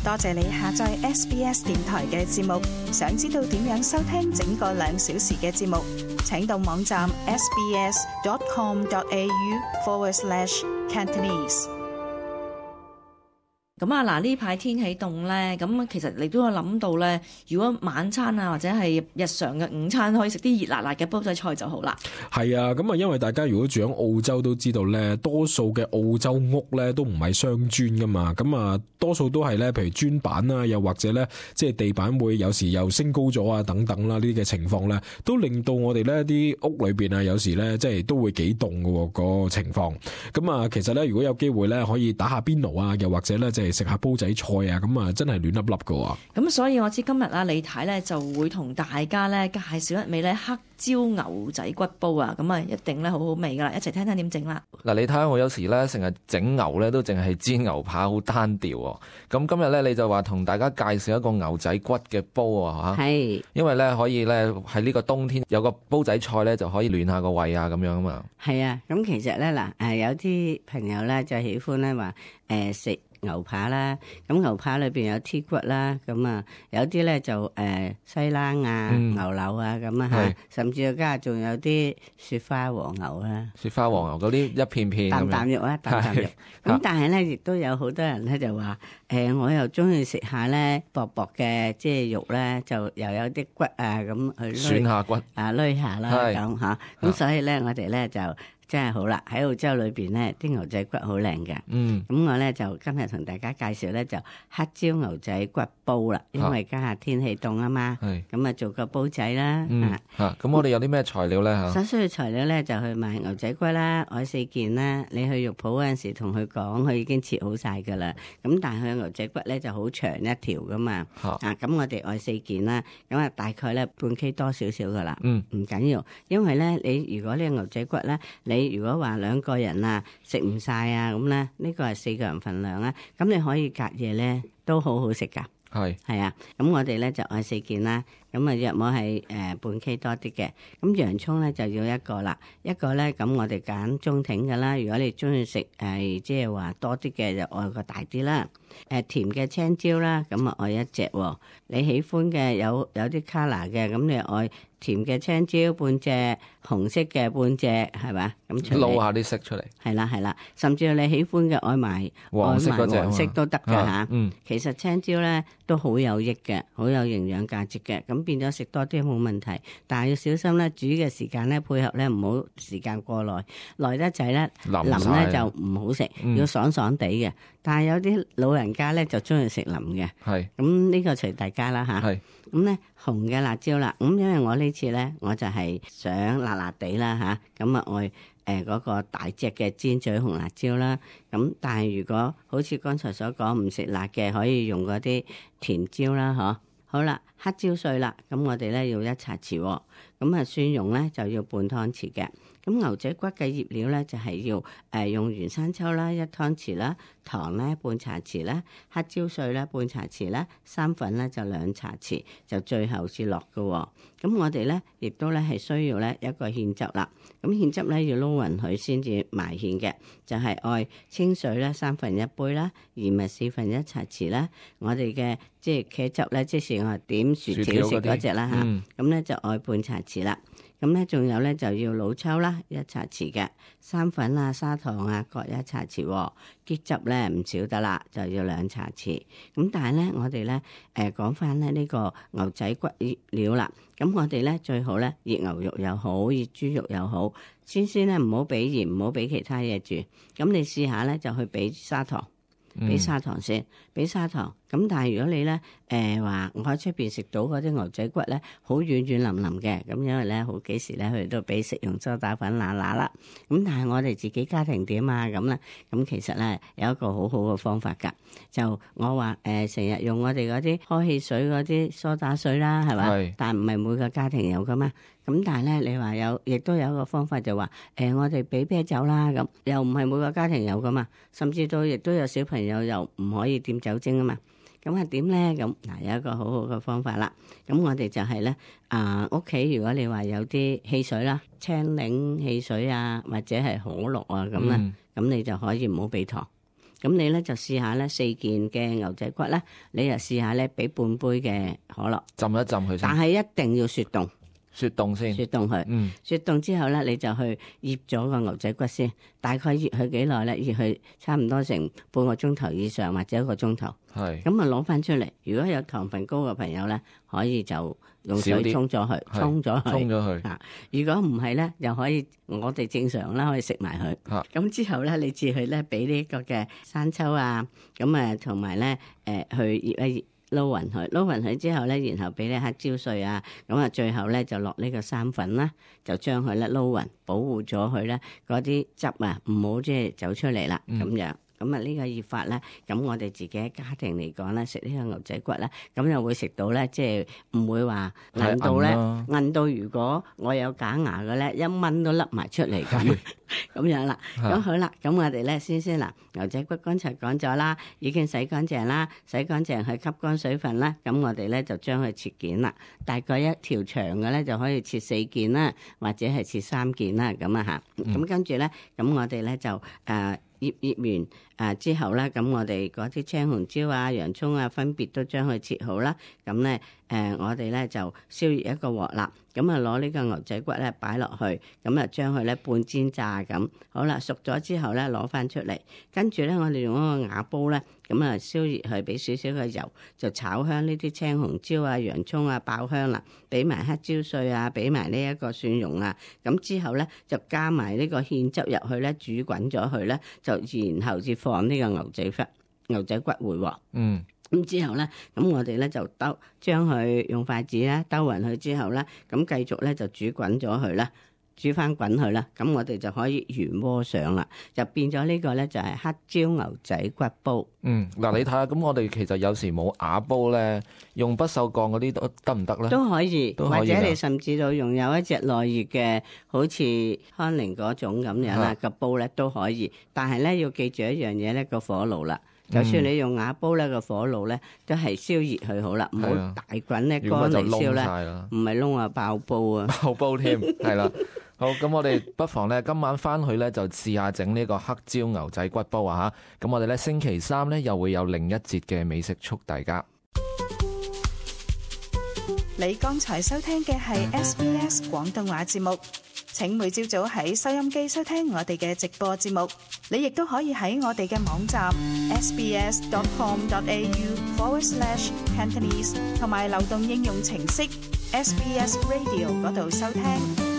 多謝你下載 SBS 電台嘅節目。想知道點樣收聽整個2小時嘅節目，請到網站 sbs.com.au/Cantonese。咁啊，嗱呢排天氣凍咧，咁其實你都有諗到咧，如果晚餐啊或者係日常嘅午餐可以食啲熱辣辣嘅煲仔菜就好啦。係啊，咁啊，因為大家如果住喺澳洲都知道咧，多數嘅澳洲屋咧都唔係雙磚噶嘛，咁啊多數都係咧，譬如磚板啊，又或者咧即係地板會有時又升高咗啊等等啦，呢啲嘅情況咧，都令到我哋咧啲屋裏邊啊，有時咧即係都會幾凍嘅個情況。咁啊，其實咧如果有機會咧，可以打下邊爐啊，又或者咧即係食下煲仔菜啊，咁啊真係暖粒粒㗎。咁所以我知今日啊李太咧就會同大家咧介紹一味咧黑椒牛仔骨煲啊，咁啊一定咧好好味噶啦，一齊聽聽點整啦。嗱，你睇下我有時咧成日整牛咧都淨係煎牛扒，好單調喎。咁今日咧你就話同大家介紹一個牛仔骨嘅煲啊嚇，係，因為咧可以咧喺呢個冬天有個煲仔菜咧就可以暖下個胃啊咁樣啊嘛。係啊，咁其實咧嗱有啲朋友咧就喜歡咧話食牛扒啦，咁牛扒裏邊有 T 骨啦，咁啊有啲咧就西冷啊、牛柳啊咁啊嚇，甚至加仲有啲雪花黃牛啦，雪花黃牛嗰啲一片片啖啖肉啊，啖啖肉。咁但係咧亦都有好多人咧就話我又中意食下咧薄薄嘅即係肉咧，就又有啲骨啊咁去選下骨啊攏下啦咁嚇，咁所以咧我哋咧就真係好啦，喺澳洲裏邊咧啲牛仔骨好靚嘅。咁我咧就今日同大家介紹咧就黑椒牛仔骨煲啦，因為家下天氣凍啊嘛，咁啊做個煲仔啦。咁我哋有啲咩材料咧嚇？所需嘅材料咧就去買牛仔骨啦，愛4件啦。你去肉鋪嗰陣時同佢講，佢已經切好晒噶啦。咁但係佢牛仔骨咧就好長一條噶嘛。咁我哋愛4件啦，咁啊大概咧半 K 多少少噶啦。唔緊要，因為咧你如果呢個牛仔骨咧你如果話2個人啊食唔晒啊咁咧，呢個係4個人份量啊，咁你可以隔夜咧都好好食噶。係啊，咁我哋咧就愛4件啦，咁啊約莫係半 K 多啲嘅。咁洋葱咧就要1個啦，一個咧咁我哋揀中挺嘅啦。如果你中意食即係話多啲嘅就愛個大啲啦。甜嘅青椒啦，咁啊愛1隻喎。你喜歡嘅有啲 colour 嘅，咁你愛甜嘅青椒半隻，紅色嘅半隻，係嘛？咁撈下啲色出嚟。係啦，甚至你喜歡嘅愛埋黃色嗰隻，黃色都得㗎嚇。其實青椒咧都好有益嘅，好有營養價值嘅，咁變咗食多啲冇問題。但係要小心咧，煮嘅時間咧配合咧唔好時間過耐，耐得滯咧腍咧就唔好食，要爽爽地嘅。但係有啲老人家咧就中意食腍嘅，咁呢個隨大家啦嚇。咁咧紅嘅辣椒啦，咁因為我呢次咧我就係想辣辣地啦嚇，咁啊愛嗰個大隻嘅尖嘴紅辣椒啦。咁但係如果好似剛才所講唔食辣嘅，可以用嗰啲甜椒啦嗬。好啦，黑椒碎啦，咁我哋咧要1茶匙喎，咁啊蒜蓉咧就要半湯匙嘅。咁牛仔骨嘅醃料咧就係要用原生抽啦1湯匙啦，糖咧半茶匙啦，黑椒碎咧半茶匙啦，生粉咧就2茶匙，就最後至落嘅喎。咁我哋咧亦都咧係需要咧一個芡汁啦。咁芡汁咧要撈勻佢先至埋芡嘅，就係愛清水咧1/3杯啦，鹽咪1/4茶匙啦。我哋嘅即係茄汁咧，即係我點薯條食嗰隻啦嚇，咁咧就愛半茶匙啦。咁咧仲有咧就要老抽啦1茶匙嘅，生粉啊砂糖啊各1茶匙，結汁咧唔少得啦，就要2茶匙。咁但係咧我哋咧講翻咧呢個牛仔骨料啦，咁我哋咧最好咧熱牛肉又好，熱豬肉又好，先咧唔好俾鹽，唔好俾其他嘢住。咁你試下咧就去俾砂糖。俾砂糖先，俾砂糖。咁但係如果你咧話我喺出邊食到嗰啲牛仔骨咧，好軟軟腍腍嘅，咁因為咧好幾時咧佢哋都俾食用梳打粉揦揦啦。咁但係我哋自己家庭點啊咁咧？咁其實咧有一個好好嘅方法㗎，就我話成日用我哋嗰啲開汽水嗰啲梳打水啦，係嘛？但係唔係每個家庭有㗎嘛。咁但係咧，你話有，亦都有一個方法就話，我哋俾啤酒啦，咁又唔係每個家庭有噶嘛，甚至到亦都有小朋友又唔可以掂酒精啊嘛，咁係點咧？咁嗱有一個好好嘅方法啦，咁我哋就係咧屋企如果你話有啲汽水啦，青檸汽水啊，或者係可樂啊咁咧，咁你就可以唔好俾糖。咁你咧就試下咧4件嘅牛仔骨咧，你就試下咧俾半杯嘅可樂浸一浸佢先，但係一定要雪凍。雪凍先，雪凍佢，雪凍之後咧，你就去醃咗個牛仔骨先，大概醃佢幾耐咧？醃佢差唔多成半個鐘頭以上或者1個鐘頭。係咁啊，攞翻出嚟。如果有糖分高嘅朋友咧，可以就用水沖咗佢，沖咗佢。啊，如果唔係咧，又可以我哋正常啦，可以食埋佢。咁之後咧，你至去咧俾呢個嘅生抽啊，咁啊同埋咧去醃一醃。撈勻佢之後咧，然後俾啲黑椒碎啊，咁啊最後咧就落呢個生粉啦，就將佢咧撈勻，保護咗佢咧嗰啲汁啊，唔好即係走出嚟啦，咁樣。咁啊呢個醃法咧，咁我哋自己喺家庭嚟講咧，食呢個牛仔骨咧，咁又會食到咧，即係唔會話韌到咧，韌到如果我有假牙嘅咧，一蚊都甩埋出嚟咁樣啦。咁好啦，咁我哋咧先嗱，牛仔骨剛才講咗啦，已經洗乾淨啦，洗乾淨去吸乾水分啦，咁我哋咧就將佢切件啦，大概一條長嘅咧就可以切4件啦，或者係切3件啦，咁啊嚇。咁跟住咧，咁我哋咧就醃完之後咧，咁我哋嗰啲青紅椒啊、洋葱啊，分別都將佢切好啦。咁咧我哋咧就燒熱一個鑊啦。咁啊攞呢個牛仔骨咧擺落去，咁啊將佢咧半煎炸咁。好啦，熟咗之後咧攞翻出嚟，跟住咧我哋用一個瓦煲咧，咁啊燒熱佢，俾少少嘅油，就炒香呢啲青紅椒啊、洋葱啊，爆香啦，俾埋黑椒碎啊，俾埋呢一個蒜蓉啊。咁之後咧就加埋呢個芡汁入去咧，煮滾咗佢咧，就然後至放呢個牛仔骨回鑊。咁之後咧，咁我哋咧就將佢用筷子咧兜勻佢之後咧，咁繼續咧就煮滾咗佢啦，煮翻滾佢啦，咁我哋就可以原鍋上啦，就變咗呢個咧就係黑椒牛仔骨煲。嗱你睇下，咁我哋其實有時冇瓦煲咧，用不鏽鋼嗰啲都得唔得咧？都可以，或者你甚至到用有一隻耐熱嘅，好似康寧嗰種咁樣啦個煲咧都可以，但係咧要記住一樣嘢咧，個火爐啦。就算你用瓦煲咧，個火爐咧都係燒熱佢好啦，唔好大滾咧乾嚟燒咧，唔係燶啊爆煲啊，爆煲添，係啦。好，咁我哋不妨咧今晚翻去咧就試下整呢個黑椒牛仔骨煲啊嚇。咁我哋咧星期3咧又會有另一節嘅美食速遞家。你剛才收聽嘅係 SBS 廣東話節目。請每朝早喺收音機收聽我哋嘅直播節目，你亦都可以喺我哋嘅網站 sbs.com.au/Cantonese 同埋流動應用程式 SBS Radio 嗰度收聽。